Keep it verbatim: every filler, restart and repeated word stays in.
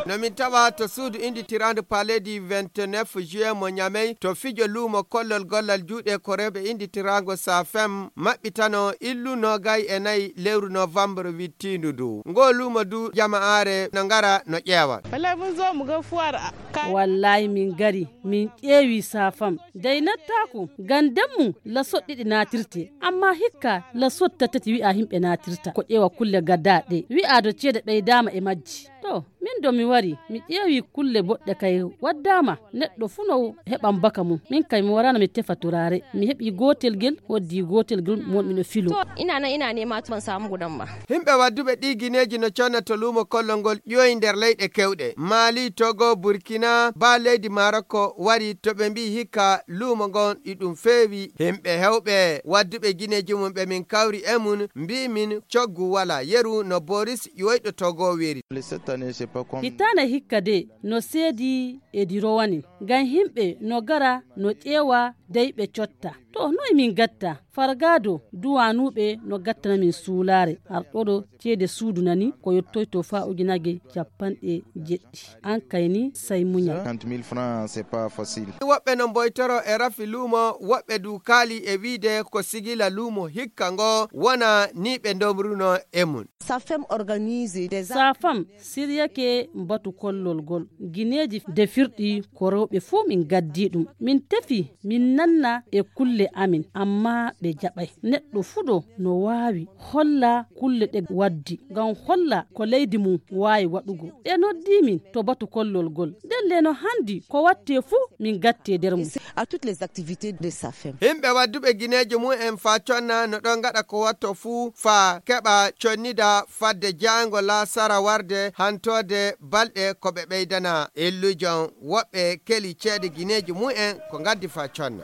No min tawa to suudu inditiraandu Palais du vingt-neuf juillet mo Ñamey, to fijo luumo kollol gollal juuɗe ko rewɓe inditiraango Safem maɓɓitano illu noogay e nayi lewru novembre wittiindu ndu. Ngo luumo du jama'aare no ngara no ƴeewa. Wallahi mun zo mu ga fuwar a-, ka- Wallahi min ngari, min ƴeewi Safam. Day nattaaku, ngam ndemmu la soɗɗiɗi naatirte, amma hikka la sotta tati wi'a himɓe naatirta. Ko ƴeewa kulle gaddaa ɗe, wi'a do ceede ɓeydaama e majji. To, min do mi wari, mi ƴeewi kulle boɗɗe kay waddaama. Neɗɗo fuu no heɓan baka mum. Min kay mi warano mi tefa turaare. Mi heɓi gootel gel, hoddi gootel gel mo mi no filo. To, ina nan ina nema ban samu gudan ba. Himɓe wadduɓe ɗi gineeji no conna to luumo kollol ngol ƴooyi nder leyɗe kewɗe. Mali, Togo, Burkina, ba leydi Maroko wari to ɓe mbi'i hikka luumo ngon iɗum feewi. Himɓe hewɓe wadduɓe gineeji mum ɓe min kawri e mum mbi'i min coggu wala yeru no Boris ƴooyɗo Togo weri. Hitaana hikka de no seedi e dirowanin. Ngam himɓe no gara no ƴeewa dey ɓe cotta. To, noy min gatta? Fargado duwanuɓe no gattana min suulaare. Arɗoɗo ceede suudu nani ko yottoyto faa ujunaaje cappanɗe jeɗɗi. An kay ni, sey muñal. Woɓɓe no mboytoro e rafi luumo, woɓɓe du kaali e wiide ko sigila luumo hikka ngo wona ni ɓe ndomruno e mum. Safem organise des Safam siryake mbatu kollol gol. Gineeji defirɗi ko rewɓe fuu min gaddi ɗum. Min tefi, min nanna e kulle amin, amma ɓe jaɓay. Neɗɗo fuu ɗo no waawi holla kulle ɗe waddi, ngam holla ko leydi mum waawi waɗugo. Ɓe noddi min to batu kollol gol. Ndelle no handi ko watte fuu min gatte nder mum. À toutes les activités de Safem. Himɓe wadduɓe gineeji mum en faa conna no ɗon ngaɗa ko watto fuu faa keɓa connida fadde jaango laasara warde hantoode balɗe ko ɓe ɓeydana illujon woɓɓe keli ceede gineeji mum en ko ngaddi faa conna.